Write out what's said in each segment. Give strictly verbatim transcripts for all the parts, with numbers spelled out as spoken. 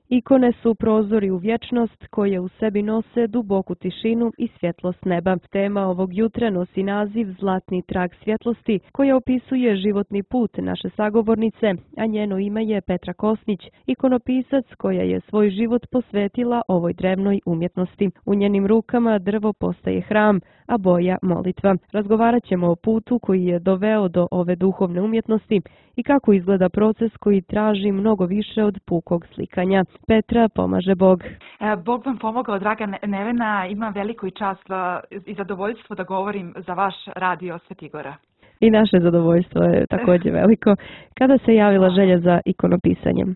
Ikone su prozori u vječnost koje u sebi nose duboku tišinu i svjetlost neba. Tema ovog jutra nosi naziv Zlatni trag svjetlosti, koja opisuje životni put naše sagovornice, a njeno ime je Petra Kosnić, ikonopisac koja je svoj život posvetila ovoj drevnoj umjetnosti. U njenim rukama drvo postaje hram, a boja molitva. Razgovarat ćemo o putu koji je doveo do ove duhovne umjetnosti i kako izgleda proces koji traži mnogo više od pukog slikanja. Petra, pomaže Bog. Bog vam pomogao, draga Nevena. Imam veliku i čast i zadovoljstvo da govorim za vaš radio Svetigora. I naše zadovoljstvo je također veliko. Kada se javila želja za ikonopisanjem?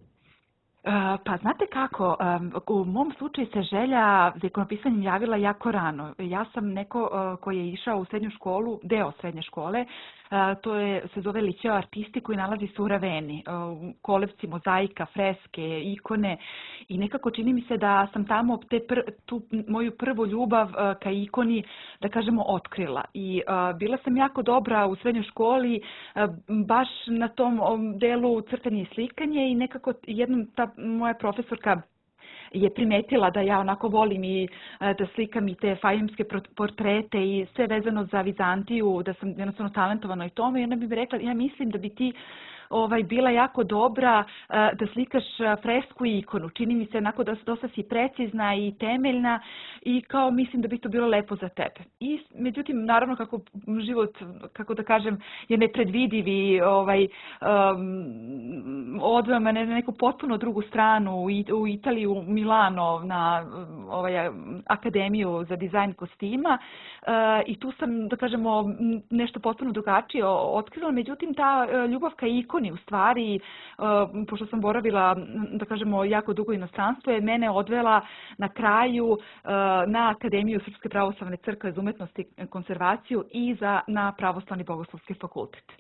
Pa znate kako, u mom slučaju se želja za ikonopisanjem javila jako rano. Ja sam neko koji je išao u srednju školu, deo srednje škole, to je, se zove Liceo artisti koji nalazi se u Raveni. Kolevci, mozaika, freske, ikone i nekako čini mi se da sam tamo te pr, tu moju prvu ljubav ka ikoni, da kažemo, otkrila. I uh, bila sam jako dobra u srednjoj školi, uh, baš na tom delu crtanje i slikanje i nekako jednom ta moja profesorka je primetila da ja onako volim i da slikam i te fajemske portrete i sve vezano za Vizantiju, da sam jednostavno talentovana i tome. I ona bi mi rekla, ja mislim da bi ti ovaj, bila jako dobra da slikaš fresku i ikonu. Čini mi se onako da dosta si precizna i temeljna i kao mislim da bi to bilo lepo za tebe. I međutim, naravno kako život, kako da kažem, je nepredvidiv i ovaj, um, odveo me na neku potpuno drugu stranu u Italiju, u Milano na ovaj, akademiju za dizajn kostima uh, i tu sam, da kažemo, nešto potpuno drugačije otkrila. Međutim, ta ljubav ka ikoni u stvari, uh, pošto sam boravila, da kažemo, jako dugo inostranstvo, je mene odvela na kraju uh, na Akademiju Srpske pravoslavne crkve za umetnost i konzervaciju i za, na Pravoslavni bogoslovski fakultet.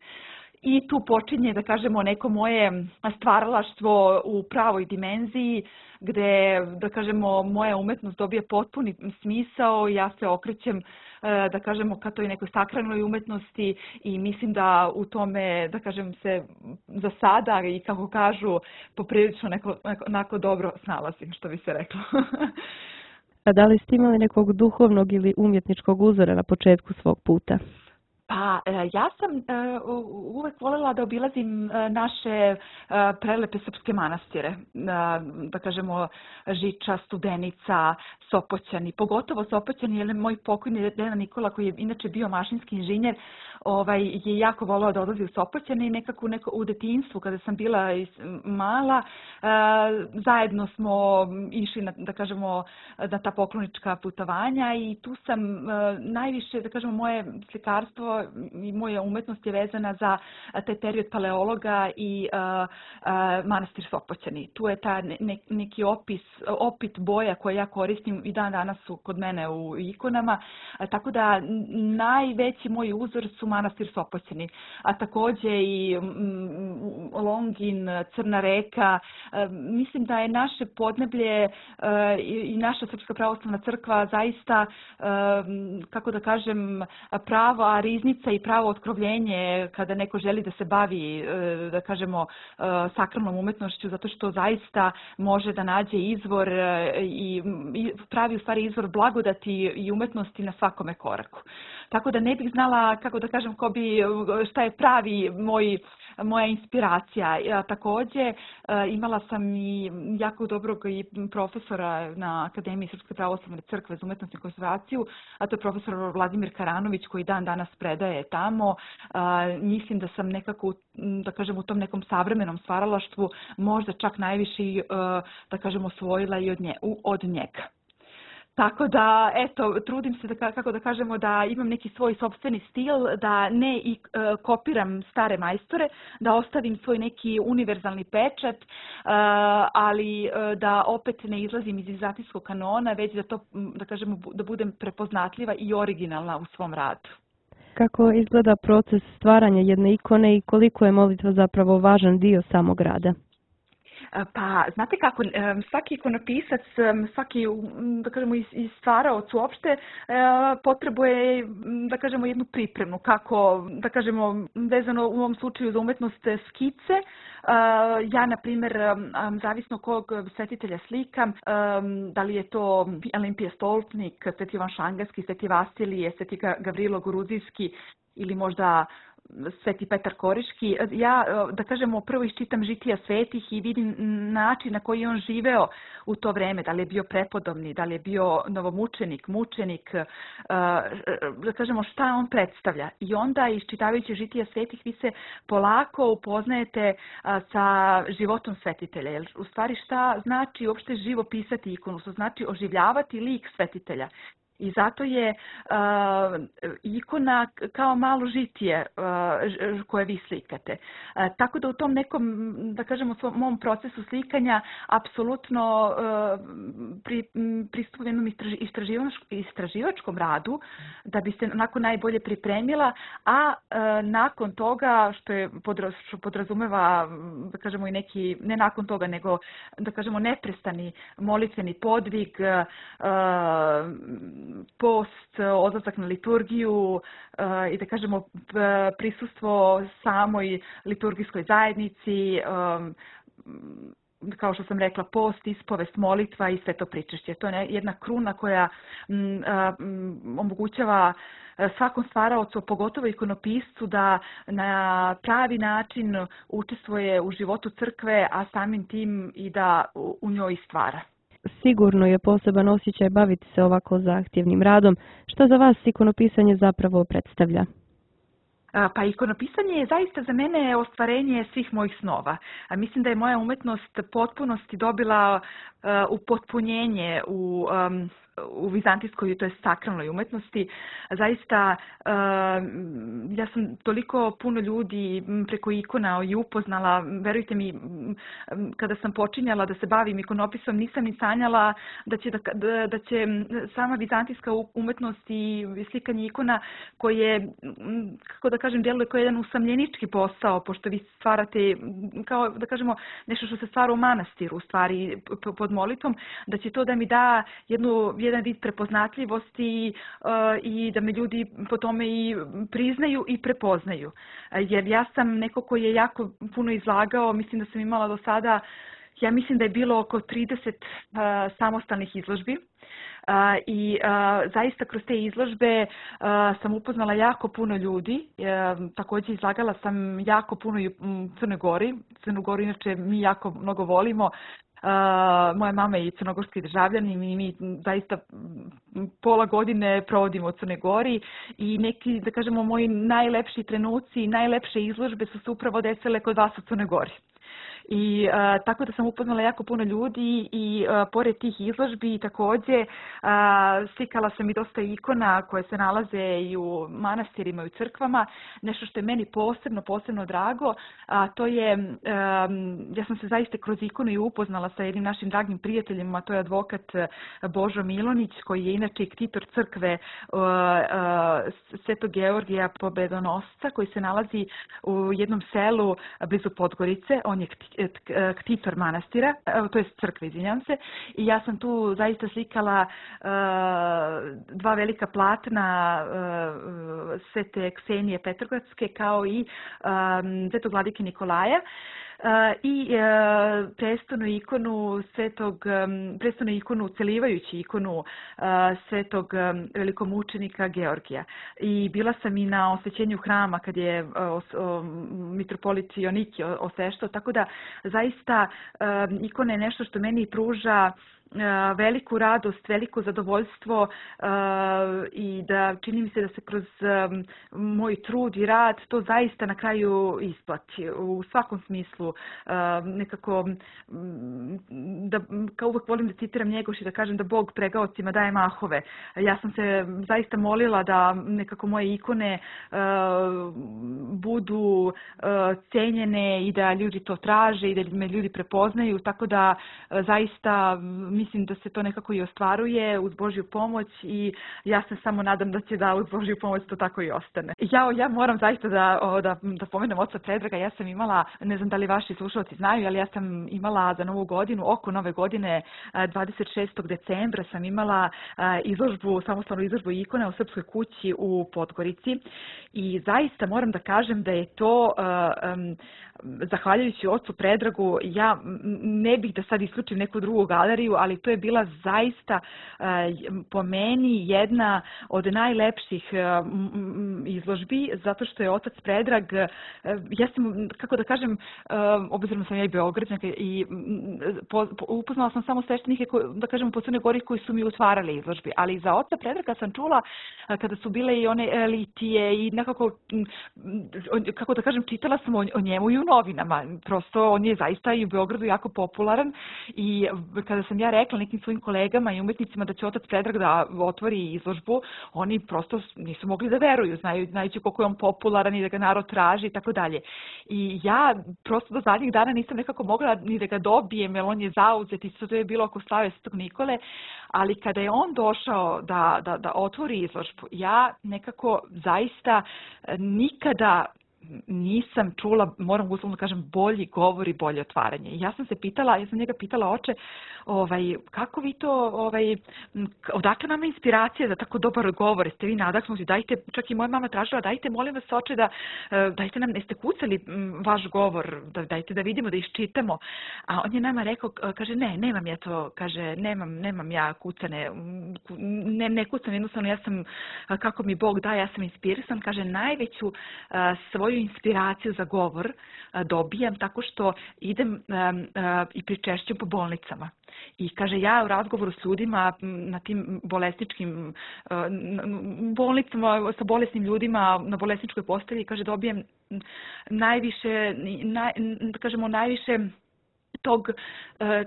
I tu počinje, da kažemo, neko moje stvaralaštvo u pravoj dimenziji, gde, da kažemo, moja umetnost dobije potpuni smisao, ja se okrećem, da kažemo, ka toj nekoj sakralnoj umetnosti i mislim da u tome, da kažem, se za sada i kako kažu, poprilično neko, neko, neko dobro snalazim, što bi se reklo. A da li ste imali nekog duhovnog ili umjetničkog uzora na početku svog puta? Pa ja sam uvek voljela da obilazim naše prelepe srpske manastire, da kažemo Žiča, Studenica, Sopoćani, pogotovo Sopoćani, jer moj pokojni deda Nikola, koji je inače bio mašinski inženjer, ovaj, je jako volao da odlazi u Sopoćane i nekako neko, u detinjstvu, kada sam bila mala, zajedno smo išli na, da kažemo, na ta poklonička putovanja i tu sam najviše, da kažemo, moje slikarstvo i moja umetnost je vezana za taj period paleologa i uh, uh, manastir Sopoćani. Tu je ta ne, neki opis, opit boja koje ja koristim i dan danas su kod mene u ikonama, a, tako da najveći moj uzor su manastir Sopoćani, a takođe i mm, Longin, Crna reka. A, mislim da je naše podneblje a, i, i naša Srpska pravoslavna crkva zaista, a, kako da kažem, prava riznica i pravo otkrovljenje kada neko želi da se bavi, da kažemo, sakralnom umetnošću, zato što zaista može da nađe izvor i pravi u stvari izvor blagodati i umetnosti na svakome koraku. Tako da ne bih znala, kako da kažem, ko bi, šta je pravi moj moja inspiracija. Ja, takođe, imala sam i jako dobrog i profesora na Akademiji Srpske pravoslavne crkve za umetnost i konzervaciju, a to je profesor Vladimir Karanović, koji dan danas predaje tamo. Mislim da sam nekako, da kažem, u tom nekom savremenom stvaralaštvu možda čak najviše, da kažem, osvojila i od, nje, od njega. Tako da, eto, trudim se, da, kako da kažemo, da imam neki svoj sopstveni stil, da ne i e, kopiram stare majstore, da ostavim svoj neki univerzalni pečat, e, ali e, da opet ne izlazim iz vizantijskog kanona, već da to, da kažemo, da budem prepoznatljiva i originalna u svom radu. Kako izgleda proces stvaranja jedne ikone i koliko je molitva zapravo važan dio samog rada? Pa, znate kako, svaki ikonopisac, svaki, da kažemo, i stvaraoc uopšte potrebuje, da kažemo, jednu pripremu. Kako, da kažemo, vezano u ovom slučaju za umetnost skice, ja, na primjer, zavisno kog svetitelja slikam, da li je to Olimpije Stolpnik, Sveti Ivan Šangarski, Sveti Vasilije, Sveti Gavrilo Gruzijski ili možda Sveti Petar Koriški. Ja, da kažemo, prvo iščitam žitija svetih i vidim način na koji je on živeo u to vreme, da li je bio prepodobni, da li je bio novomučenik, mučenik, da kažemo šta on predstavlja. I onda, iščitavajući žitija svetih, vi se polako upoznajete sa životom svetitelja. Jer u stvari šta znači uopšte živo pisati ikonu, što znači oživljavati lik svetitelja. I zato je uh, ikona kao malo žitije uh, koje vi slikate. Uh, tako da u tom nekom, da kažemo, svom, mom procesu slikanja apsolutno uh, pri, pristupujem jednom istraživač, istraživačkom radu da bi se onako najbolje pripremila, a uh, nakon toga, što je podraz, što podrazumeva, da kažemo, i neki, ne nakon toga, nego, da kažemo, neprestani molitveni podvig, uh, post, odlazak na liturgiju i, da kažemo, prisustvo samoj liturgijskoj zajednici, kao što sam rekla, post, ispovest, molitva i sve to pričešće. To je jedna kruna koja omogućava svakom stvaraocu, pogotovo ikonopiscu, da na pravi način učestvuje u životu crkve, a samim tim i da u njoj stvara. Sigurno je poseban osjećaj baviti se ovako zahtjevnim radom. Što za vas ikonopisanje zapravo predstavlja? Pa ikonopisanje je zaista za mene ostvarenje svih mojih snova. Mislim da je moja umetnost potpunosti dobila upotpunjenje u u vizantijskoj, to je sakralnoj umetnosti. Zaista, ja sam toliko puno ljudi preko ikona i upoznala. Verujte mi, kada sam počinjala da se bavim ikonopisom, nisam ni sanjala da će, da, da će sama vizantijska umetnost i slikanje ikona, koje, kako da kažem, djeluje kao jedan usamljenički posao, pošto vi stvarate, kao da kažemo, nešto što se stvara u manastiru, u stvari pod molitvom, da će to da mi da jednu jedan vid prepoznatljivosti uh, i da me ljudi po tome i priznaju i prepoznaju. Uh, jer ja sam neko koji je jako puno izlagao, mislim da sam imala do sada, ja mislim da je bilo oko trideset uh, samostalnih izložbi. Uh, I uh, zaista kroz te izložbe uh, sam upoznala jako puno ljudi. Uh, također izlagala sam jako puno i u Crnoj Gori. Crnu Goru inače mi jako mnogo volimo. Uh, moja mama je crnogorski državljanin i mi zaista pola godine provodimo u Crnoj Gori i neki, da kažemo, moji najlepši trenuci i najlepše izložbe su se upravo desile kod vas u Crnoj Gori. I uh, tako da sam upoznala jako puno ljudi i uh, pored tih izložbi također uh, slikala sam i dosta ikona koje se nalaze i u manastirima i u crkvama. Nešto što je meni posebno, posebno drago, a to je, um, ja sam se zaista kroz ikonu i upoznala sa jednim našim dragim prijateljima, a to je advokat Božo Milonić, koji je inače ktitor crkve uh, uh, Svetog Georgija Pobedonosca, koji se nalazi u jednom selu blizu Podgorice. On je ktitor manastira, to je crkve, izvinjam se, i ja sam tu zaista slikala uh, dva velika platna uh, Svete Ksenije Petrogradske kao i um, Svetog vladike Nikolaja. Uh, i uh, prestonu ikonu svetog, um, prestonu ikonu, celivajući ikonu uh, svetog um, velikomučenika Georgija. I bila sam i na osvećenju hrama kad je uh, os, um, mitropolit Joniki osveštao, tako da zaista um, ikona je nešto što meni pruža veliku radost, veliko zadovoljstvo uh, i da čini mi se da se kroz um, moj trud i rad to zaista na kraju isplati. U svakom smislu uh, nekako um, da, kao uvek volim da citiram Njegoš i da kažem da Bog pregaocima daje mahove. Ja sam se zaista molila da nekako moje ikone uh, budu uh, cenjene i da ljudi to traže i da me ljudi prepoznaju, tako da uh, zaista mislim da se to nekako i ostvaruje uz Božju pomoć i ja se samo nadam da će da uz Božju pomoć to tako i ostane. Ja, ja moram zaista da, o, da, da pomenem oca Predraga, ja sam imala, ne znam da li vaši slušalci znaju, ali ja sam imala za Novu godinu, oko Nove godine, dvadeset šestog decembra sam imala izložbu, samostalnu izložbu ikona u Srpskoj kući u Podgorici i zaista moram da kažem da je to, um, zahvaljujući ocu Predragu, ja ne bih da sad isključim neku drugu galeriju, ali to je bila zaista po meni jedna od najlepših izložbi, zato što je otac Predrag, ja sam, kako da kažem, obzirom sam ja i Beograđanka i po, po, upoznala sam samo sveštenike, da kažem, po Crnoj Gori koji su mi otvarali izložbi, ali za oca Predraga sam čula kada su bile i one litije i nekako, kako da kažem, čitala sam o, o njemu i u novinama. Prosto on je zaista i u Beogradu jako popularan i kada sam ja rekla nekim svojim kolegama i umetnicima da će otac Predrag da otvori izložbu, oni prosto nisu mogli da veruju, znaju, znajući koliko je on popularan i da ga narod traži i tako dalje. I ja prosto do zadnjih dana nisam nekako mogla ni da ga dobijem, jer on je zauzet i to je bilo oko slave Svetog Nikole, ali kada je on došao da, da, da otvori izložbu, ja nekako zaista nikada nisam čula, moram uslovno kažem, bolji govor i bolje otvaranje. I ja sam se pitala, ja sam njega pitala, oče, ovaj, kako vi to, ovaj, odakle nama inspiracija za tako dobar govor, jeste vi nadahnuti, dajte, čak i moja mama tražila, dajte, molim vas, oče, da, dajte nam, jeste kucali vaš govor, da, dajte da vidimo, da iščitamo. A on je nama rekao, kaže, ne, nemam ja to, kaže, nemam, nemam ja kucane, ne, ne kucam, jednostavno, ja sam, kako mi Bog da, ja sam inspirisan, kaže, najveću svoju inspiraciju za govor dobijam tako što idem um, uh, i pričešćujem po bolnicama. I kaže, ja u razgovoru s ljudima na tim bolesničkim uh, bolnicama sa bolesnim ljudima na bolesničkoj postelji, kaže, dobijem najviše, naj, da kažemo, najviše tog,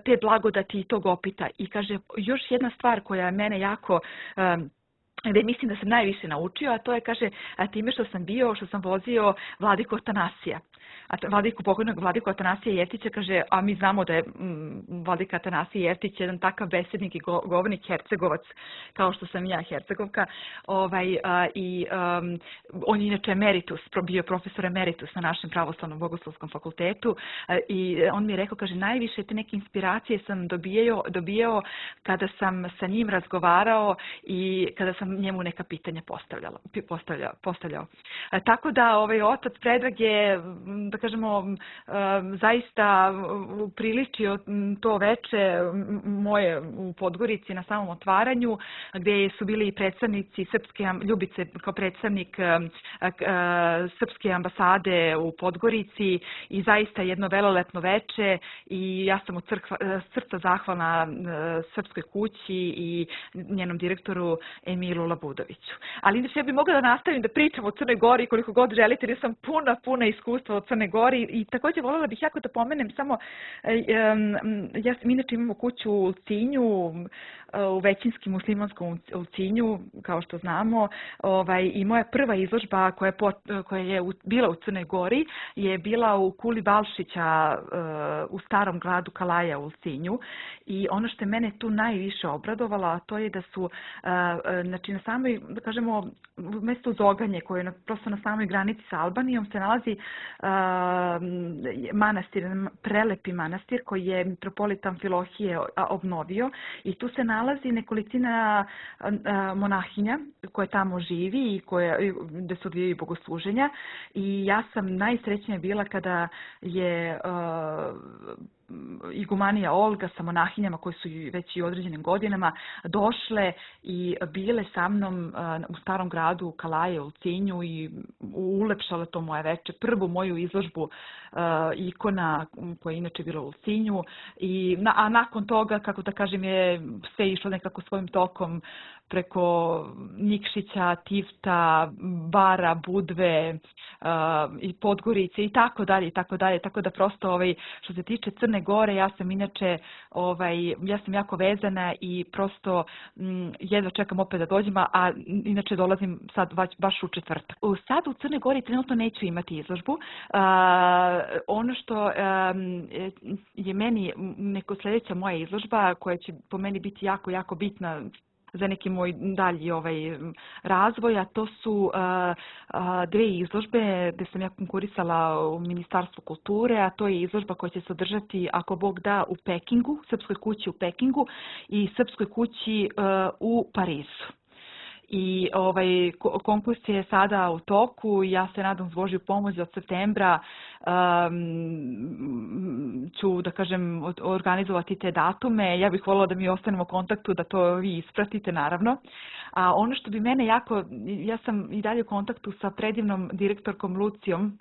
te blagodati i tog opita. I kaže, još jedna stvar koja mene jako um, gde mislim da sam najviše naučio, a to je, kaže, time što sam bio, što sam vozio Vladiku Atanasija. Vladiku, pokojnog Vladiku Atanasija Jeftića, kaže, a mi znamo da je mm, Vladika Atanasije Jeftić jedan takav besednik i go, govornik Hercegovac, kao što sam ja Hercegovka, ovaj, a, i um, on je inače emeritus, bio profesor emeritus na našem pravoslavnom bogoslovskom fakultetu a, i on mi je rekao, kaže, najviše te neke inspiracije sam dobijao, dobijao kada sam sa njim razgovarao i kada sam njemu neka pitanja postavljala, postavljao. postavljao. A, tako da ovaj otac Predrag je, da kažemo, zaista priličio to veče moje u Podgorici na samom otvaranju, gdje su bili i predstavnici Srpske, Ljubice kao predstavnik Srpske ambasade u Podgorici i zaista jedno velelepno veče i ja sam od srca zahvalna Srpskoj kući i njenom direktoru Emilu Labudoviću. Ali inače ja bih mogla da nastavim da pričam o Crnoj Gori koliko god želite, jer sam puna, puna iskustva od Crne Gori i također voljela bih jako da pomenem samo, ja sam inače imamo kuću u Ulcinju, u većinskim muslimanskom Ulcinju, kao što znamo, ovaj, i moja prva izložba koja je, pot, koja je bila u Crnoj Gori je bila u Kuli Balšića u starom gradu Kalaja u Ulcinju i ono što je mene tu najviše obradovalo, a to je da su, znači na samoj, da kažemo, mjesto Zoganje koje je prosto na samoj granici sa Albanijom se nalazi manastir, prelepi manastir koji je mitropolit Amfilohije obnovio i tu se nalazi nekolicina monahinja koje tamo živi i koje, gde se odvijaju bogosluženja i ja sam najsrećnija bila kada je igumanija Olga sa monahinjama koje su već i u određenim godinama došle i bile sa mnom u starom gradu Kalaje u Ulcinju i ulepšale to moje veče. Prvu moju izložbu ikona koja je inače bila u Ulcinju i a nakon toga, kako da kažem, je sve išlo nekako svojim tokom preko Nikšića, Tifta, Bara, Budve uh, i Podgorice i tako dalje i tako dalje. Tako da prosto ovaj, što se tiče Crne Gore. Ja sam inače, ovaj, ja sam jako vezana i prosto m, jedva čekam opet da dođem, a inače dolazim sad baš u četvrtak. Sad u Crnoj Gori trenutno neću imati izložbu. Uh, ono što um, je meni neko sljedeća moja izložba koja će po meni biti jako, jako bitna za neki moj dalji ovaj razvoj, a to su uh, uh, dve izložbe gdje sam ja konkurisala u Ministarstvu kulture, a to je izložba koja će se održati, ako Bog da, u Pekingu, Srpskoj kući u Pekingu i Srpskoj kući uh, u Parizu. I ovaj konkurs je sada u toku. Ja se nadam s Božju pomoć od septembra um, ću, da kažem, organizovati te datume. Ja bih voljela da mi ostanemo u kontaktu, da to vi ispratite, naravno. A ono što bi mene jako, ja sam i dalje u kontaktu sa predivnom direktorkom Lucijom,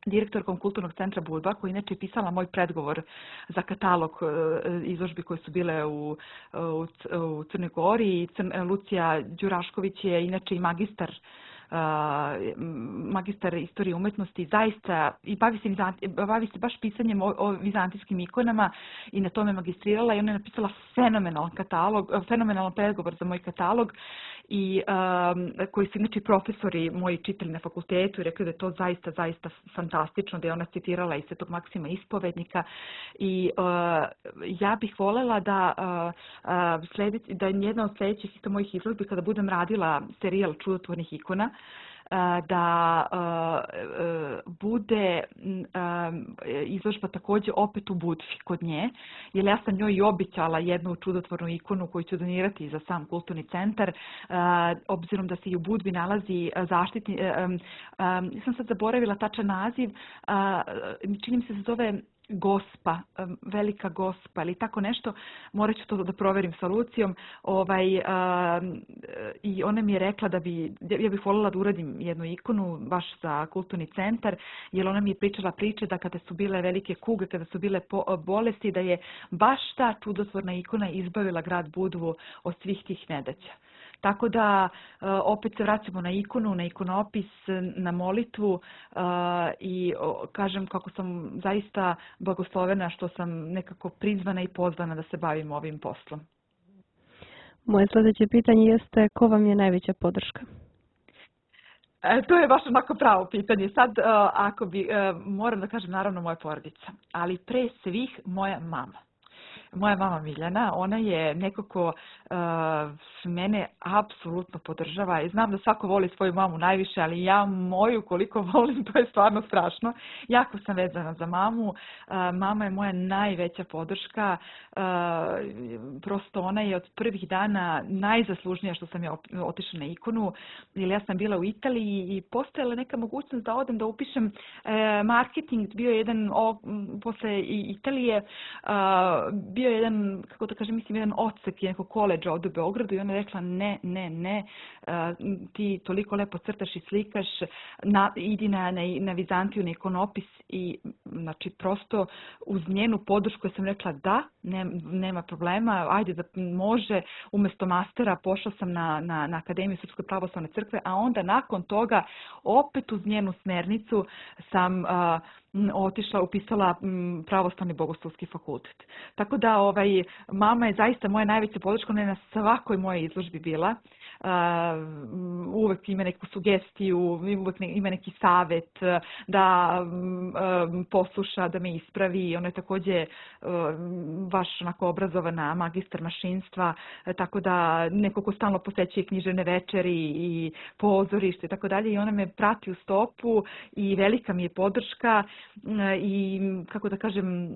direktorkom Kulturnog centra Budva, koja inače je pisala moj predgovor za katalog izložbi koje su bile u, u, u Crnoj Gori. Crn, Lucija Đurašković je inače i magistar Uh, magistar istorije umetnosti, zaista i bavi se, bavi se baš pisanjem o, o vizantijskim ikonama i na tome magistrirala i ona je napisala fenomenalan katalog, fenomenalan predgovor za moj katalog i um, koji su inače profesori moji čitali na fakultetu i rekli da je to zaista, zaista fantastično, da je ona citirala i Svetog Maksima Ispovednika i uh, ja bih voljela da uh, uh, sljedeći, da je jedna od sljedećih isto mojih izložbi kada budem radila serijal čudotvornih ikona, da uh, bude um, izložba također opet u Budvi kod nje, jer ja sam njoj i običala jednu čudotvornu ikonu koju ću donirati za sam kulturni centar, uh, obzirom da se i u Budvi nalazi zaštitni, um, um, sam sad zaboravila tačan naziv, uh, čini mi se se zove Gospa, velika Gospa ili tako nešto, morat ću to da proverim sa Lucijom, ovaj, uh, i ona mi je rekla da bi, ja bih voljela da uradim jednu ikonu baš za kulturni centar, jer ona mi je pričala priče da kada su bile velike kuge, kada su bile po, bolesti, da je baš ta čudotvorna ikona izbavila grad Budvu od svih tih nedaća. Tako da opet se vraćamo na ikonu, na ikonopis, na molitvu i kažem kako sam zaista blagoslovena što sam nekako prizvana i pozvana da se bavim ovim poslom. Moje sljedeće pitanje jeste ko vam je najveća podrška? E, to je baš onako pravo pitanje. Sad, uh, ako bi, uh, moram da kažem naravno moja porodica, ali pre svih moja mama. Moja mama Miljana, ona je neko ko uh, mene apsolutno podržava i znam da svako voli svoju mamu najviše, ali ja moju koliko volim, to je stvarno strašno. Jako sam vezana za mamu, uh, mama je moja najveća podrška, uh, prosto ona je od prvih dana najzaslužnija što sam ja otišla na ikonu, jer ja sam bila u Italiji i postojala neka mogućnost da odem da upišem uh, marketing, bio je jedan, o, posle Italije, uh, bio je jedan, kako da kažem, mislim, jedan odsek nekog koleđa ovdje u Beogradu i ona je rekla ne, ne, ne, uh, ti toliko lepo crtaš i slikaš, na, idi na, na, na Vizantiju, na ikonopis i znači prosto uz njenu podršku ja sam rekla da, ne, nema problema, ajde da može, umjesto mastera pošla sam na, na, na Akademiju Srpske pravoslavne crkve, a onda nakon toga opet uz njenu smernicu sam uh, otišla, upisala pravoslavni bogoslovski fakultet. Tako da ovaj, mama je zaista moja najveća podrška, ona je na svakoj mojoj izložbi bila. Uh, uvek ima neku sugestiju, uvek ne, ima neki savjet da um, posluša, da me ispravi. Ona je također um, baš onako obrazovana magistar mašinstva, tako da neko ko stalno posećuje književne večeri i pozorište i tako dalje i ona me prati u stopu i velika mi je podrška i kako da kažem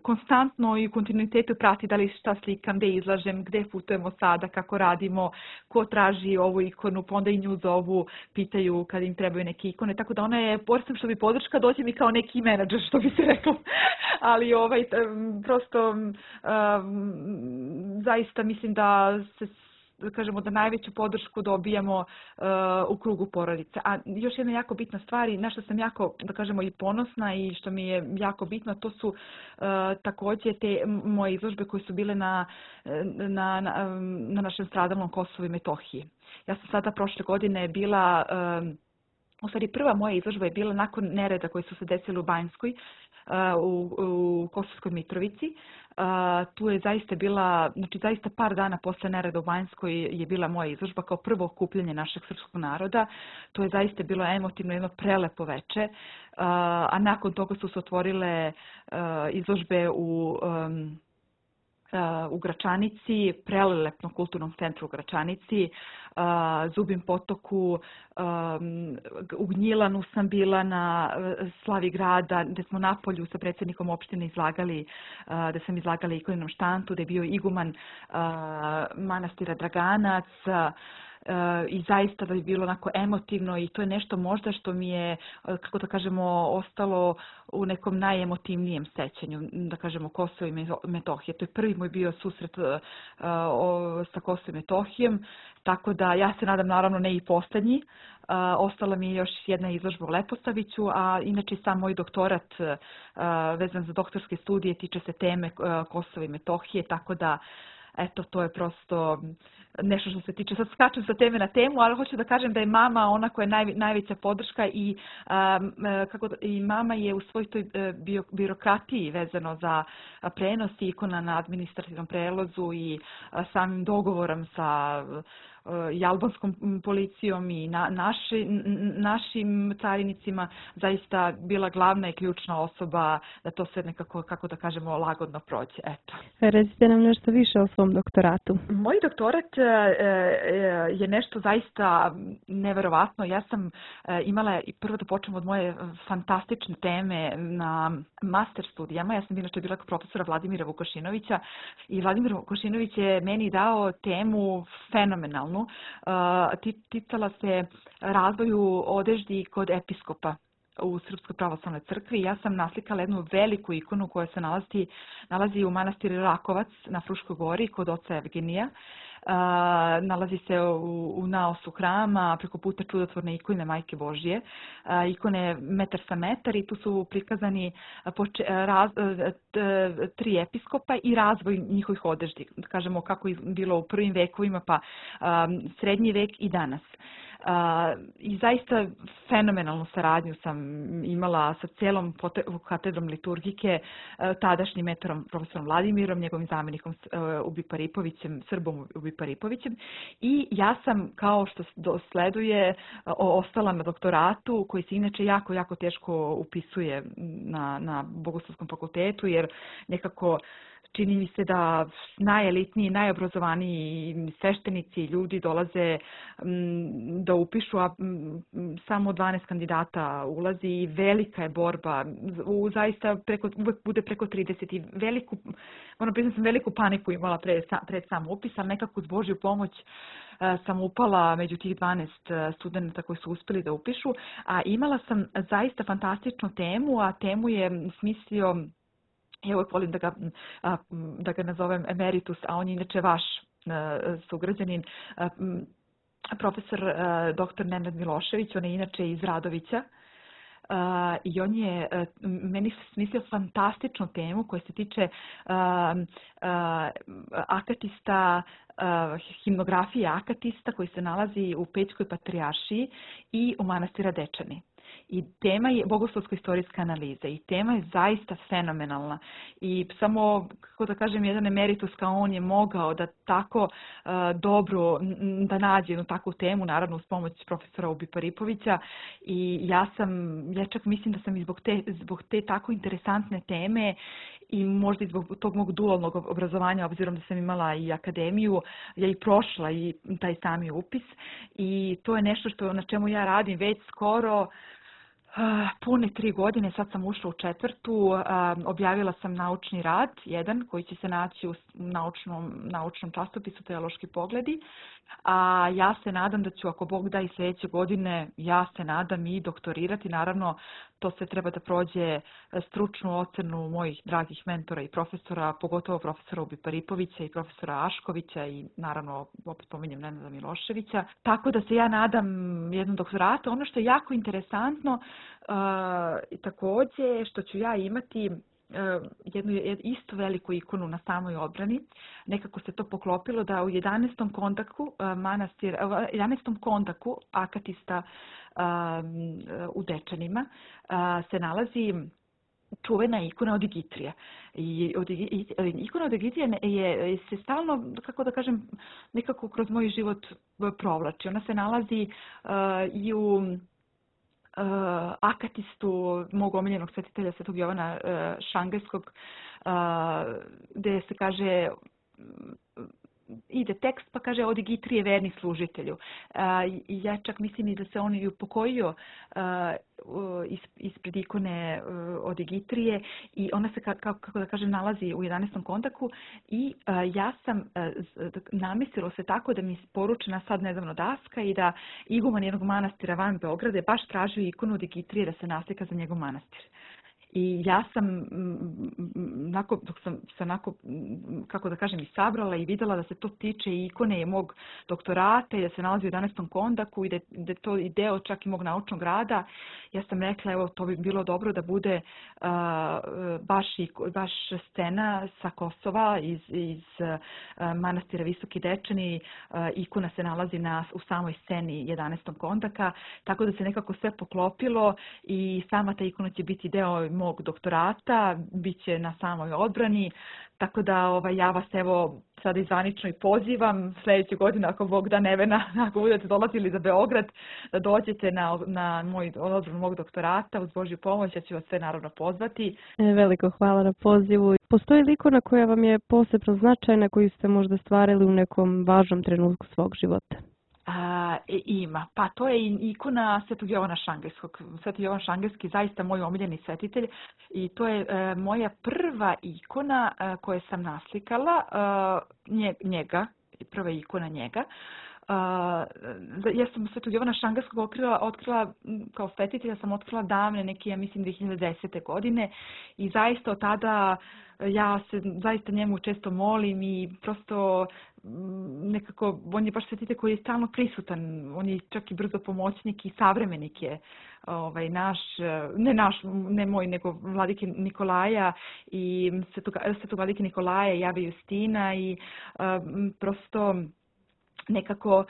konstantno i u kontinuitetu prati da li šta slikam, gde izlažem, gde putujemo sada, kako radimo, ko traži ovu ikonu, pa onda i nju zovu, pitaju kad im trebaju neke ikone, tako da ona je, pored što bi podrška, dođe mi kao neki menadžer, što bi se reklo, ali ovaj, prosto um, zaista mislim da se da kažemo da najveću podršku dobijamo uh, u krugu porodice. A još jedna jako bitna stvar i na što sam jako, da kažemo, i ponosna i što mi je jako bitno, to su uh, također te moje izložbe koje su bile na, na, na, na našem stradalnom Kosovu i Metohiji. Ja sam sada prošle godine bila, um, u stvari prva moja izložba je bila nakon nereda koji su se desili u Banjskoj, u, u Kosovskoj Mitrovici. Uh, tu je zaista bila, znači zaista par dana posle nereda u Banjskoj je bila moja izložba kao prvo okupljanje našeg srpskog naroda. To je zaista bilo emotivno, jedno prelepo veče. Uh, a nakon toga su se otvorile uh, izložbe u um, u Gračanici, prelelepnom kulturnom centru u Gračanici, Zubin potoku, u Gnjilanu sam bila na slavi grada, gdje smo na polju sa predsjednikom opštine izlagali, gdje sam izlagala ikonom štantu, gdje je bio iguman manastira Draganac, i zaista da je bilo onako emotivno i to je nešto možda što mi je, kako da kažemo, ostalo u nekom najemotivnijem sećanju, da kažemo Kosovo i Metohije. To je prvi moj bio susret uh, o, sa Kosovo i Metohijom, tako da ja se nadam naravno ne i posljednji. Uh, ostala mi je još jedna izložba u Leposaviću, a inače sam moj doktorat uh, vezan za doktorske studije tiče se teme uh, Kosova i Metohije, tako da eto, to je prosto nešto što se tiče, sad skačem sa teme na temu, ali hoću da kažem da je mama ona koja je naj, najveća podrška i, um, kako, i mama je u svoj toj bio, birokratiji vezano za prenos ikona na administrativnom prelozu i samim dogovorom sa i albanskom policijom i na, naši, našim carinicima zaista bila glavna i ključna osoba da to sve nekako, kako da kažemo, lagodno prođe. Eto. Recite nam nešto više o svom doktoratu. Moj doktorat je nešto zaista neverovatno. Ja sam imala, i prvo da počnem od moje fantastične teme na master studijama. Ja sam inače bila profesora Vladimira Vukašinovića i Vladimir Vukašinović je meni dao temu fenomenalnu. Ticala se razvoju odeždi kod episkopa u Srpskoj pravoslavnoj crkvi. Ja sam naslikala jednu veliku ikonu koja se nalazi, nalazi u manastiru Rakovac na Fruškoj gori kod oca Evgenija. Uh, nalazi se u, u naosu hrama, preko puta čudotvorne ikone Majke Božje. Uh, ikone metar sa metar i tu su prikazani poče, raz, t, tri episkopa i razvoj njihovih odeždi. Kažemo kako je bilo u prvim vekovima, pa um, srednji vek i danas. Uh, I zaista fenomenalnu saradnju sam imala sa cijelom katedrom liturgike, uh, tadašnjim metorom profesorom Vladimirom, njegovim zamjenikom uh, Ubi Paripovićem, Srbom Ubi Paripovićem. I ja sam, kao što dosleduje, uh, ostala na doktoratu, koji se inače jako, jako teško upisuje na, na Bogoslovskom fakultetu, jer nekako čini mi se da najelitniji, najobrazovaniji sveštenici i ljudi dolaze m, da upišu, a m, samo dvanaest kandidata ulazi i velika je borba. U, zaista preko, uvek bude preko trideset i veliku, moram priznati, sam veliku paniku imala pred, pred sam upis, ali nekako uz Božju pomoć sam upala među tih dvanaest studenta koji su uspjeli da upišu. A imala sam zaista fantastičnu temu, a temu je smislio, ja uvijek volim da ga, da ga nazovem emeritus, a on je inače vaš sugrađanin, profesor doktor Nenad Milošević, on je inače iz Radovića. Uh, i on je uh, meni smislio fantastičnu temu koja se tiče uh, uh, akatista, uh, himnografije akatista koji se nalazi u Pećkoj patrijaršiji i u manastira Dečani. I tema je bogoslovsko-istorijska analiza i tema je zaista fenomenalna. I samo, kako da kažem, jedan emeritus kao on je mogao da tako uh, dobro, da nađe jednu takvu temu, naravno uz pomoć profesora Ubi Paripovića. I ja sam, ja čak mislim da sam i zbog te, zbog te tako interesantne teme i možda i zbog tog mog dualnog obrazovanja, obzirom da sam imala i akademiju, ja i prošla i taj sami upis. I to je nešto što, na čemu ja radim već skoro pune tri godine, sad sam ušla u četvrtu, objavila sam naučni rad, jedan koji će se naći u naučnom, naučnom časopisu Teološki pogledi, a ja se nadam da ću, ako Bog da, i sljedeće godine, ja se nadam i doktorirati. Naravno, to sve treba da prođe stručnu ocenu mojih dragih mentora i profesora, pogotovo profesora Ubi Paripovića i profesora Aškovića i naravno, opet pominjem Nenada Miloševića. Tako da se ja nadam jednom doktoratu. Ono što je jako interesantno, uh, također što ću ja imati jednu isto veliku ikonu na samoj odbrani. Nekako se to poklopilo da u jedanaestom kontaku manastir, jedanaestom kontaku akatista um, u Dečanima uh, se nalazi čuvena ikona od Igitrije. I od, i, ikona od Igitrije je, se stalno, kako da kažem, nekako kroz moj život provlači. Ona se nalazi uh, i u uh, Akatistu mog omiljenog svetitelja Svetog Jovana uh, Šangajskog, uh, gdje se kaže ide tekst pa kaže od Igitrije verni služitelju. Ja čak mislim i da se on i upokojio ispred ikone od Igitrije i ona se, kako da kažem, nalazi u jedanaestom kontaku i ja sam namislilo se tako da mi poručena sad nedavno daska i da iguman jednog manastira van Beograda je baš tražio ikonu od Igitrije da se naslika za njegov manastir. I ja sam, nakon, dok sam se onako, kako da kažem, i sabrala i vidjela da se to tiče i ikone i mog doktorata i da se nalazi u jedanaestom kondaku i da, da je to i deo čak i mog naučnog rada, ja sam rekla, evo, to bi bilo dobro da bude uh, baš, baš scena sa Kosova iz, iz uh, manastira Visoki Dečani. Uh, ikona se nalazi na, u samoj sceni jedanaestog kondaka, tako da se nekako sve poklopilo i sama ta ikona će biti deo mog doktorata, bit će na samoj odbrani, tako da ovaj, ja vas evo sada izvanično i pozivam sljedeće godine, ako Bog da Nevena, ako budete dolazili za Beograd, da dođete na, na moj odbranu mog doktorata uz Božju pomoć, ja ću vas sve naravno pozvati. Veliko hvala na pozivu. Postoji li ikona koja vam je posebno značajna, koju ste možda stvarili u nekom važnom trenutku svog života? A, ima. Pa to je ikona Svetog Jovana Šangajskog. Sveti Jovan Šangajski zaista moj omiljeni svetitelj i to je e, moja prva ikona e, koju sam naslikala, e, njega, prva ikona njega. Uh, ja sam Svetog Jovana Šangajskog otkrila, otkrila kao svetitelja sam otkrila davne neke, ja mislim, dvije hiljade desete. godine i zaista od tada ja se zaista njemu često molim i prosto nekako, on je baš svetitelj koji je stalno prisutan, on je čak i brzo pomoćnik i savremenik je ovaj, naš, ne naš, ne moj, nego vladike Nikolaja i svetog, svetog vladike Nikolaja i Jave Justina i um, prosto nekako uh,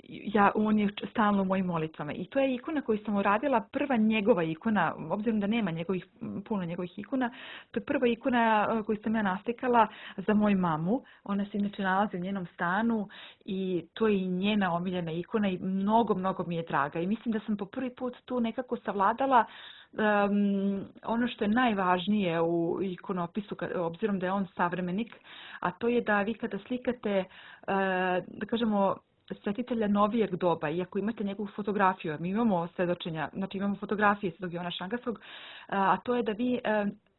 ja, on je stalno u mojim molitvama. I to je ikona koju sam uradila, prva njegova ikona, obzirom da nema njegovih, puno njegovih ikona, to je prva ikona koju sam ja naslikala za moju mamu. Ona se inače nalazi u njenom stanu i to je i njena omiljena ikona i mnogo, mnogo mi je draga. I mislim da sam po prvi put tu nekako savladala Um, ono što je najvažnije u ikonopisu, obzirom da je on savremenik, a to je da vi kada slikate, uh, da kažemo, svetitelja novijeg doba, i ako imate njegovu fotografiju, mi imamo svedočenja, znači imamo fotografije Svetog Jovana Šangajskog, uh, a to je da vi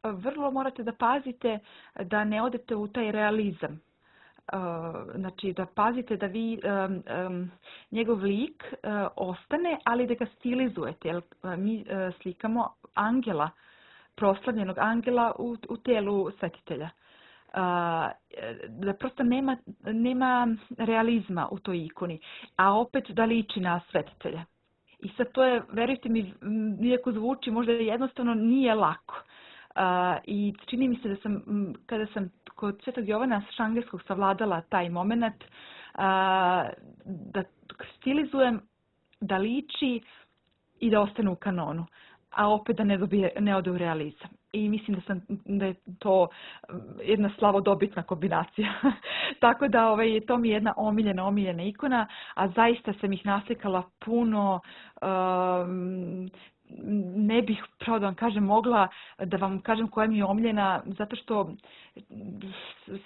uh, vrlo morate da pazite da ne odete u taj realizam. Uh, znači da pazite da vi um, um, njegov lik uh, ostane, ali da ga stilizujete, jer uh, mi uh, slikamo angela, proslavljenog angela u, u telu svetitelja. Uh, da prosto nema, nema realizma u toj ikoni, a opet da liči na svetitelja. I sad to je, verujte mi, iako zvuči možda jednostavno, nije lako. Uh, I čini mi se da sam, kada sam kod Svetog Jovana Šangajskog savladala taj moment, uh, da stilizujem, da liči i da ostane u kanonu, a opet da ne, dobije, ne ode u realizam. I mislim da, sam, da je to jedna slavodobitna kombinacija. Tako da ovaj, to mi je jedna omiljena, omiljena ikona, a zaista sam ih naslikala puno. Um, ne bih, pravo da vam kažem, mogla da vam kažem koja mi je omiljena, zato što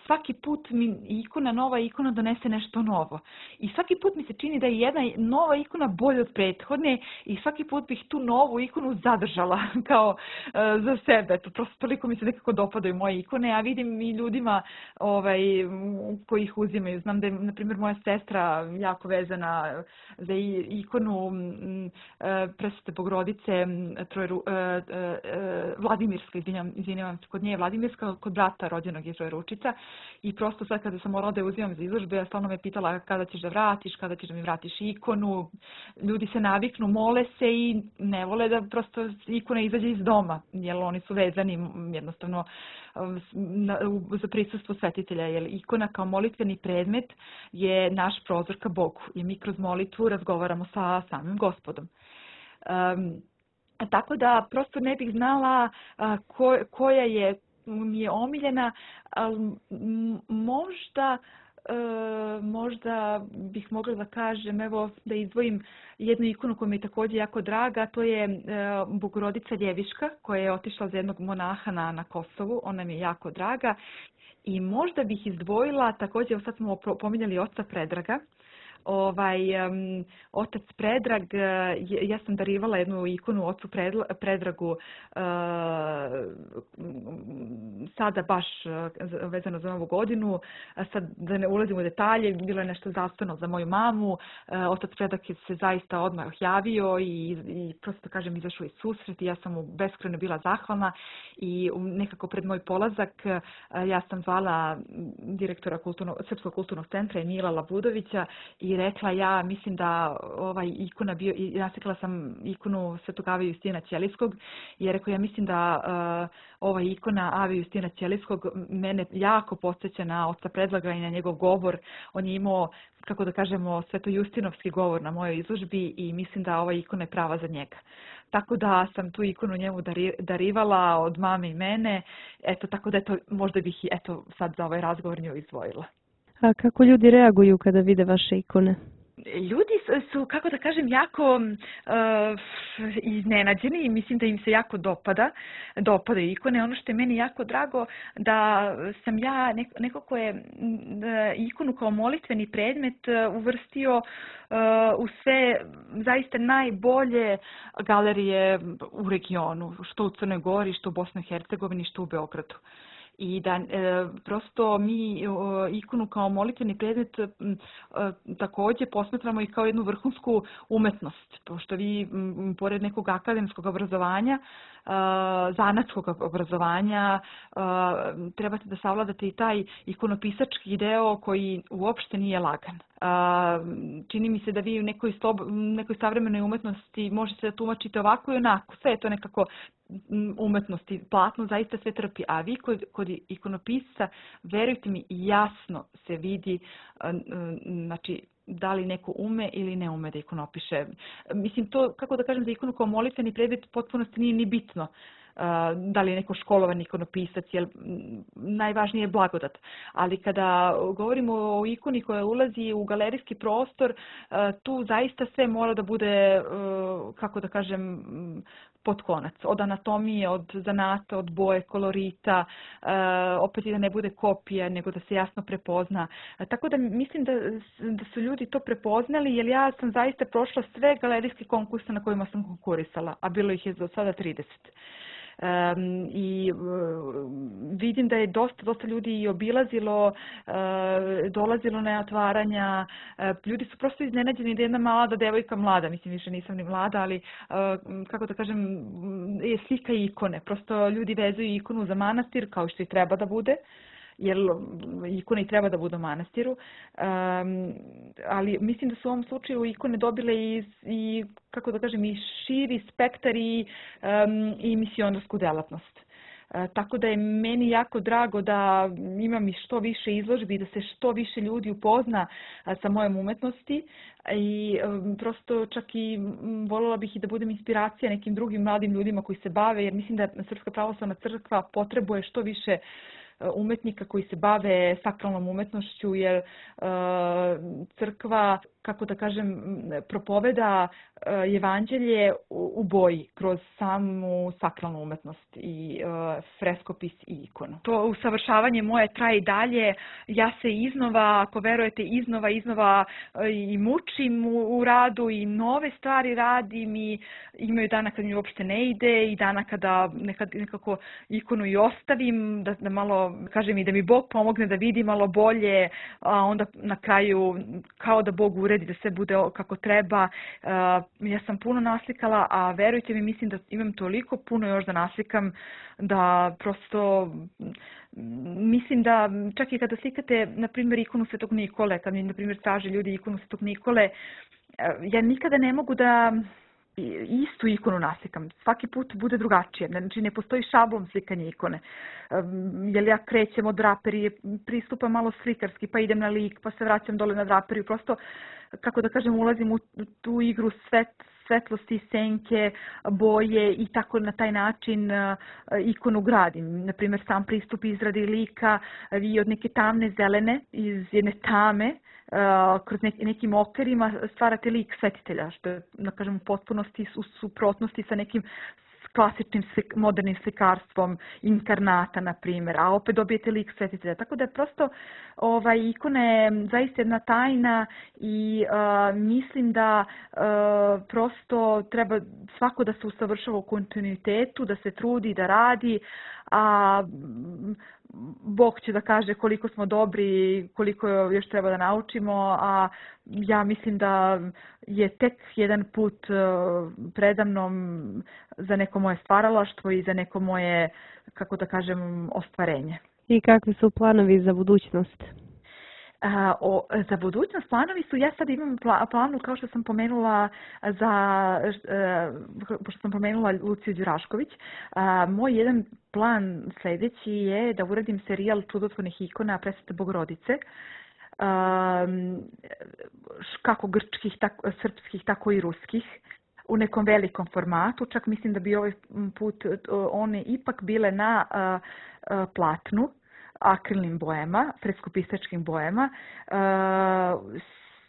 svaki put mi ikona, nova ikona donese nešto novo. I svaki put mi se čini da je jedna nova ikona bolja od prethodne i svaki put bih tu novu ikonu zadržala kao uh, za sebe. To prosto toliko mi se nekako dopadaju moje ikone, a vidim i ljudima ovaj, koji ih uzimaju. Znam da je, na primjer, moja sestra jako vezana za ikonu um, uh, Presvete Bogorodice Trojeru, uh, uh, Vladimirska, izvinjam, izvinjam se, kod nje je Vladimirska, kod brata rođenog je Trojeručica i prosto sad kada sam morala da je uzimam za izložbe, ja stalno me pitala kada ćeš da vratiš, kada ćeš da mi vratiš ikonu. Ljudi se naviknu, mole se i ne vole da prosto ikona izađe iz doma, jer oni su vezani jednostavno na, za prisustvo svetitelja, jer ikona kao molitveni predmet je naš prozor ka Bogu i mi kroz molitvu razgovaramo sa samim Gospodom. Um, Tako da prosto ne bih znala ko, koja je mi je omiljena, ali možda E, možda bih mogla da kažem, evo da izdvojim jednu ikonu koja mi je također jako draga, to je e, Bogorodica Ljeviška koja je otišla za jednog monaha na, na Kosovu, ona mi je jako draga. I možda bih izdvojila, također, sad smo pominjali oca Predraga, ovaj um, otac Predrag, ja sam darivala jednu ikonu ocu Predragu uh, sada baš vezano za novu godinu, sad da ne ulazim u detalje, bilo je nešto zdravstveno za moju mamu, uh, otac Predrag je se zaista odmah javio i, i prosto kažem izašao iz susret i ja sam mu beskrajno bila zahvalna i nekako pred moj polazak uh, ja sam zvala direktora kulturno, Srpskog kulturnog centra Emila Labudovića i rekla ja mislim da ovaj ikona bio i nasekla sam ikonu Svetog Ave Justina Ćelijskog i rekao ja mislim da uh, ova ikona Ave Justina Ćelijskog mene jako podsjeća na oca Predraga i na njegov govor. On je imao, kako da kažemo, svetojustinovski govor na mojoj izložbi i mislim da ova ikona je prava za njega. Tako da sam tu ikonu njemu dari, darivala od mame i mene. Eto, tako da eto, možda bih i eto sad za ovaj razgovor nju izdvojila. A kako ljudi reaguju kada vide vaše ikone? Ljudi su, kako da kažem, jako uh, iznenađeni i mislim da im se jako dopada, dopadaju ikone. Ono što je meni jako drago da sam ja neko, neko ko je ikonu kao molitveni predmet uvrstio uh, u sve zaista najbolje galerije u regionu, što u Crnoj Gori, što u Bosni i Hercegovini, što u Beogradu. I da e, prosto mi e, ikonu kao molitveni predmet e, također posmatramo i kao jednu vrhunsku umetnost. Pošto vi m, pored nekog akademskog obrazovanja, e, zanatskog obrazovanja, e, trebate da savladate i taj ikonopisački deo koji uopšte nije lagan. Uh, čini mi se da vi u nekoj, stob, nekoj savremenoj umetnosti možete da tumačite ovako i onako. Sve je to nekako umetnosti. Platno zaista sve trpi. A vi kod, kod ikonopisca, verujte mi, jasno se vidi uh, znači, da li neko ume ili ne ume da ikonopiše. Mislim, to, kako da kažem, za ikonu kao molitveni predmet potpunosti nije ni bitno. Uh, da li je neko školovan ikonopisac, jer najvažnije je blagodat. Ali kada govorimo o ikoni koja ulazi u galerijski prostor, uh, tu zaista sve mora da bude, uh, kako da kažem, pod konac. Od anatomije, od zanata, od boje, kolorita, uh, opet i da ne bude kopija, nego da se jasno prepozna. Uh, tako da mislim da, da su ljudi to prepoznali, jer ja sam zaista prošla sve galerijske konkurse na kojima sam konkurisala, a bilo ih je do sada trideset. Um, i uh, vidim da je dosta, dosta ljudi i obilazilo, uh, dolazilo na otvaranja. Uh, ljudi su prosto iznenađeni da jedna mlada devojka, mlada, mislim više nisam ni mlada, ali uh, kako da kažem, je slika ikone. Prosto ljudi vezuju ikonu za manastir kao što i treba da bude, jer ikone i treba da budu u manastiru, um, ali mislim da su u ovom slučaju ikone dobile i, i kako da kažem, i širi spektar i, um, i misionarsku delatnost. Uh, tako da je meni jako drago da imam i što više izložbi, da se što više ljudi upozna uh, sa mojom umetnosti i um, prosto čak i um, voljela bih i da budem inspiracija nekim drugim mladim ljudima koji se bave, jer mislim da Srpska pravoslavna crkva potrebuje što više umetnika koji se bave sakralnom umetnošću, jer uh, crkva, kako da kažem, propoveda uh, evanđelje u, u boji kroz samu sakralnu umetnost i uh, freskopis i ikonu. To usavršavanje moje traje i dalje. Ja se iznova, ako verujete, iznova, iznova uh, i mučim u, u radu i nove stvari radim i imaju dana kad mi uopšte ne ide i dana kada nekad, nekako ikonu i ostavim, da, da malo, kažem i da mi Bog pomogne da vidi malo bolje, a onda na kraju kao da Bog uredi da sve bude kako treba. Uh, ja sam puno naslikala, a verujte mi, mislim da imam toliko puno još da naslikam da prosto mislim da čak i kada slikate, na primjer, ikonu Svetog Nikole, kad mi, na primjer, traže ljudi ikonu Svetog Nikole, ja nikada ne mogu da istu ikonu naslikam. Svaki put bude drugačije. Znači, ne postoji šablon slikanja ikone. Jer ja krećem od draperije, pristupam malo slikarski, pa idem na lik, pa se vraćam dole na draperiju. Prosto, kako da kažem, ulazim u tu igru svet, svetlosti, senke, boje i tako na taj način ikonu gradim. Naprimjer, sam pristup izradi lika i od neke tamne zelene, iz jedne tame, kroz nekim okvirima stvarate lik svetitelja, što je, da kažem, u potpunosti u suprotnosti sa nekim klasičnim modernim slikarstvom inkarnata, na primjer, a opet dobijete lik svetitelja. Tako da je prosto ovaj, ikona je zaista jedna tajna i uh, mislim da uh, prosto treba svako da se usavršava u kontinuitetu, da se trudi, da radi, a Bog će da kaže koliko smo dobri, koliko još treba da naučimo, a ja mislim da je tek jedan put predamnom za neko moje stvaralaštvo i za neko moje, kako da kažem, ostvarenje. I kakvi su planovi za budućnost? A, o, za budućnost planovi su, ja sad imam pla, planu, kao što sam pomenula za, e, pošto sam pomenula Luciju Đurašković, a, moj jedan plan sljedeći je da uradim serijal čudotvornih ikona Presvete Bogorodice, a, kako grčkih, tako, srpskih, tako i ruskih, u nekom velikom formatu, čak mislim da bi ovaj put one ipak bile na a, a, platnu, akrilnim bojama, freskopisačkim bojama, e,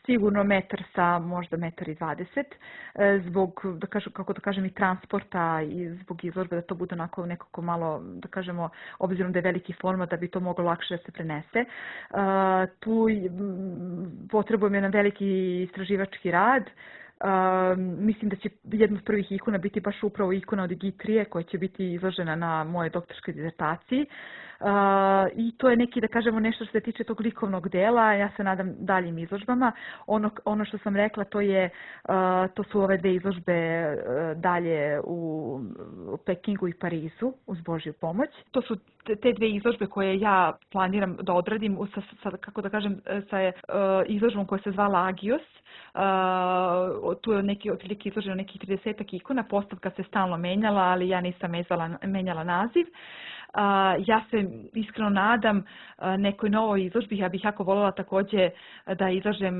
sigurno metar sa možda metar i dvadeset, e, zbog, da kažem, kako da kažem, i transporta i zbog izložbe, da to bude onako nekako malo, da kažemo, obzirom da je veliki format, da bi to moglo lakše da se prenese. E, tu potrebujem jedan veliki istraživački rad. Uh, mislim da će jedna od prvih ikona biti baš upravo ikona od Digitrije koja će biti izložena na moje doktorskoj disertaciji. Uh, I to je neki, da kažemo, nešto što se tiče tog likovnog dela. Ja se nadam daljim izložbama. Ono, ono što sam rekla, to, je, uh, to su ove dve izložbe uh, dalje u, u Pekingu i Parizu uz Božju pomoć. To su te dve izložbe koje ja planiram da odradim sa, sa kako da kažem, sa uh, izložbom koja se zvala Agios. Uh, tu je neki otprilike izloženo nekih tridesetak ikona, postavka se stalno menjala, ali ja nisam mezala, menjala naziv. Uh, ja se iskreno nadam uh, nekoj novoj izložbi, ja bih jako voljela također da izlažem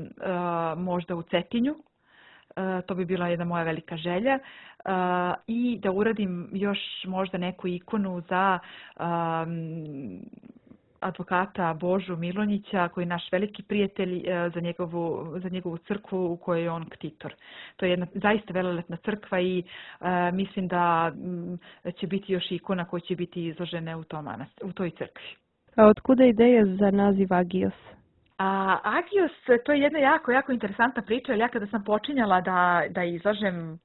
uh, možda u Cetinju. Uh, to bi bila jedna moja velika želja. Uh, I da uradim još možda neku ikonu za um, advokata Božu Milonjića, koji je naš veliki prijatelj, za njegovu, za njegovu crkvu u kojoj je on ktitor. To je jedna zaista velelepna crkva i uh, mislim da um, će biti još ikona koje će biti izložene u, tom manast, u toj crkvi. A otkuda ideja za naziv Agios? A Agios, to je jedna jako, jako interesantna priča, jer ja kada sam počinjala da, da izlažem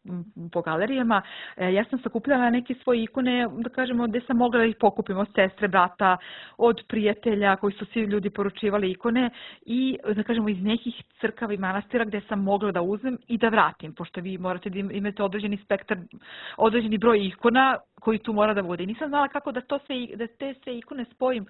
po galerijama, ja sam sakupljala neke svoje ikone, da kažemo, gdje sam mogla da ih pokupim od sestre, brata, od prijatelja koji su svi ljudi poručivali ikone i, da kažemo, iz nekih crkava i manastira gdje sam mogla da uzmem i da vratim, pošto vi morate da imate određeni spektar, određeni broj ikona koji tu mora da bude. I nisam znala kako da, to sve, da te sve ikone spojim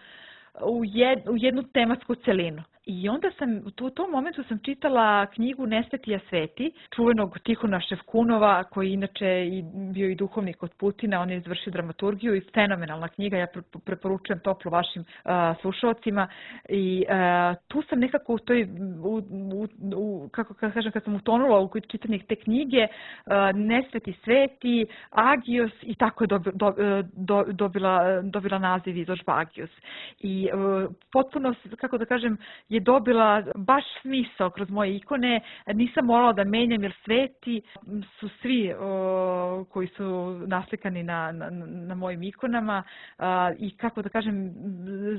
u, jed, u jednu tematsku celinu. I onda sam, u tom momentu sam čitala knjigu Nesvetija sveti, čuvenog Tihona Ševkunova, koji inače i bio i duhovnik od Putina, on je izvršio dramaturgiju i fenomenalna knjiga, ja preporučujem toplo vašim uh, slušalcima. I uh, tu sam nekako u toj, u, u, u, kako kažem, kad sam utonula u čitanje te knjige, uh, Nesveti sveti, Agios i tako je dobi, do, do, dobila, dobila naziv izložba Agios. I uh, potpuno, kako da kažem, je dobila baš smisao kroz moje ikone. Nisam morala da menjam jer sveti su svi o, koji su naslikani na, na, na mojim ikonama a, i kako da kažem,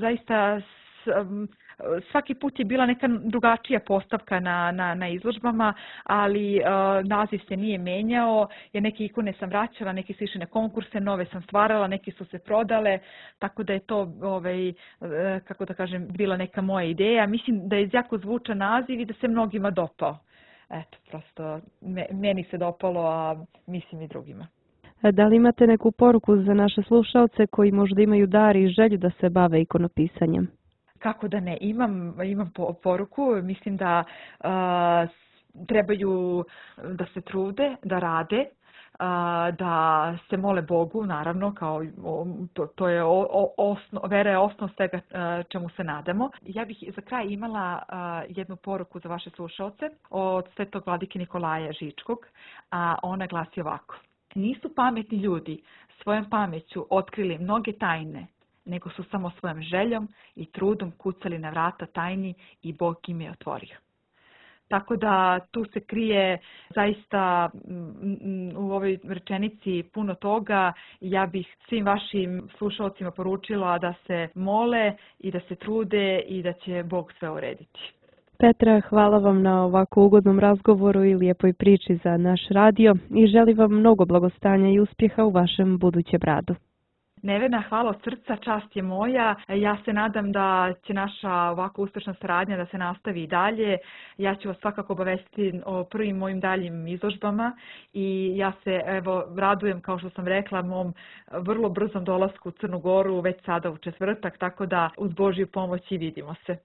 zaista s, svaki put je bila neka drugačija postavka na, na, na izložbama, ali uh, naziv se nije menjao, jer neke ikone sam vraćala, neke su išle na konkurse, nove sam stvarala, neke su se prodale, tako da je to, ovaj, uh, kako da kažem, bila neka moja ideja. Mislim da je jako zvučan naziv i da se mnogima dopao. Eto, prosto me, meni se dopalo, a mislim i drugima. Da li imate neku poruku za naše slušalce koji možda imaju dar i želju da se bave ikonopisanjem? Kako da ne, imam, imam poruku, mislim da uh, trebaju da se trude, da rade, da se mole Bogu, naravno, kao to, to je osno, vera je osnov svega čemu se nadamo. Ja bih za kraj imala jednu poruku za vaše slušalce od svetog vladike Nikolaja Žičkog, a ona glasi ovako. Nisu pametni ljudi svojom pameću otkrili mnoge tajne, nego su samo svojom željom i trudom kucali na vrata tajni i Bog im je otvorio. Tako da tu se krije zaista u ovoj rečenici puno toga. Ja bih svim vašim slušalcima poručila da se mole i da se trude i da će Bog sve urediti. Petra, hvala vam na ovako ugodnom razgovoru i lijepoj priči za naš radio i želim vam mnogo blagostanja i uspjeha u vašem budućem radu. Nevena, hvala od srca, čast je moja. Ja se nadam da će naša ovako uspješna saradnja da se nastavi i dalje. Ja ću vas svakako obavestiti o prvim mojim daljim izložbama i ja se evo radujem, kao što sam rekla, mom vrlo brzom dolasku u Crnu Goru već sada u četvrtak, tako da uz Božju pomoć i vidimo se.